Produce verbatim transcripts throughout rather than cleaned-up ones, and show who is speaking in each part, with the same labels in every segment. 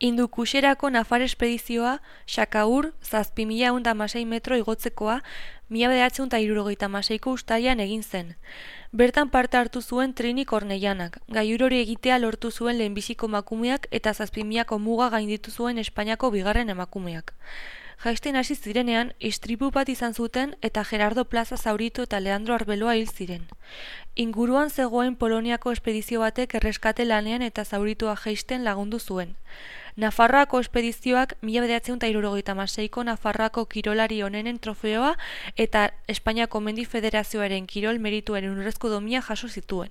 Speaker 1: Hindukuxerako nafar espedizioa, Xakaur, zazpi mila ehun eta hamasei metro igotzekoa, mila bederatziehun eta hirurogeita hamaseiko uztailean egin zen. Bertan parte hartu zuen Trini Kornellanak, gailur hori egitea lortu zuen lehenbiziko emakumeak eta zazpi milako muga gainditu zuen Espainiako bigarren emakumeak. Jaisten hasi zirenean, istripu bat izan zuten eta Gerardo Plaza zauritu eta Leandro Arbeloa hil ziren. Inguruan zegoen Poloniako espedizio batek erreskate lanean eta zauritua jaisten lagundu zuen. Nafarroako espedizioak mila bederatziehun eta hirurogeita hamaseiko Nafarroako kirolari onenen trofeoa eta Espainiako Mendi Federazioaren kirol merituen urrezko domina jaso zituen.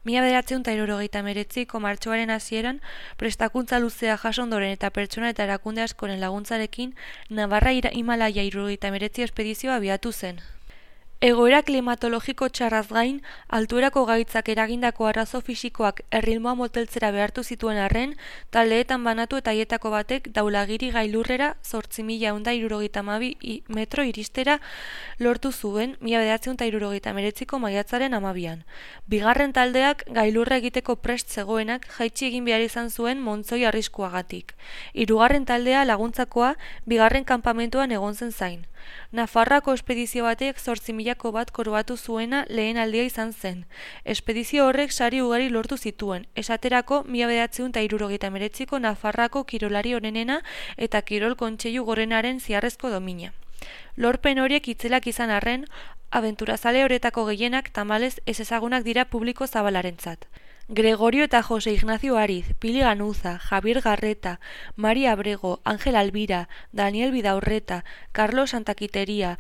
Speaker 1: Mila bederatziehun eta hirurogeita hemeretziko martxoaren hasieran, prestakuntza luzea jaso ondoren eta pertsona eta erakunde askoren laguntzarekin, Navarra Himalaia hirurogeita hemeretzi espedizioa abiatu zen. Egoera klimatologiko txarraz gain, altuerako gaitzak eragindako arazo fisikoak erritmoa moteltzera behartu zituen arren, taldeetan banatu eta haietako batek Daulagiri gailurrera zortzi mila ehun eta hirurogeita hamabi metro iristera lortu zuen mila bederatziehun eta hirurogeita hemeretziko maiatzaren hamabian. Bigarren taldeak gailurra egiteko prest zegoenak jaitsi egin behar izan zuen montzoi arriskuagatik. Hirugarren taldea laguntzakoa bigarren kanpamentuan egon zen zain. Nafarroako espedizio batek zortzi milako bat koroatu zuena lehen aldia izan zen. Espedizio horrek sari ugari lortu zituen, esaterako mila bederatziehun eta hirurogeita hemeretziko Nafarroako kirolari onenena eta kirol kontseilu gorenaren ziarrezko domina. Lorpen horiek itzelak izan arren, abenturazale horretako gehienak tamalez ez ezagunak dira publiko zabalarentzat. Gregorio eta Jose Ignacio Ariz, Pili Ganuza, Javier Garreta, Maria Abrego, Ángel Albira, Daniel Vidaurreta, Carlos Santaquiteria,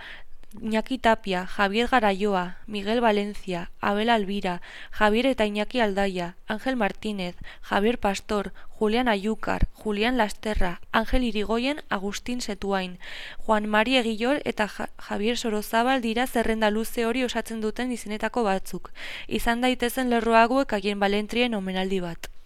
Speaker 1: Iñaki Tapia, Javier Garayoa, Miguel Valencia, Abel Albira, Javier eta Iñaki Aldaia, Ángel Martínez, Javier Pastor, Julián Ayúcar, Julián Lasterra, Ángel Irigoyen, Agustín Setuain, Juan Mari Egillor eta ja Javier Sorozabal dira zerrenda luze hori osatzen duten izenetako batzuk, izan daitezen lerro hauek haien balentrien omenaldi bat.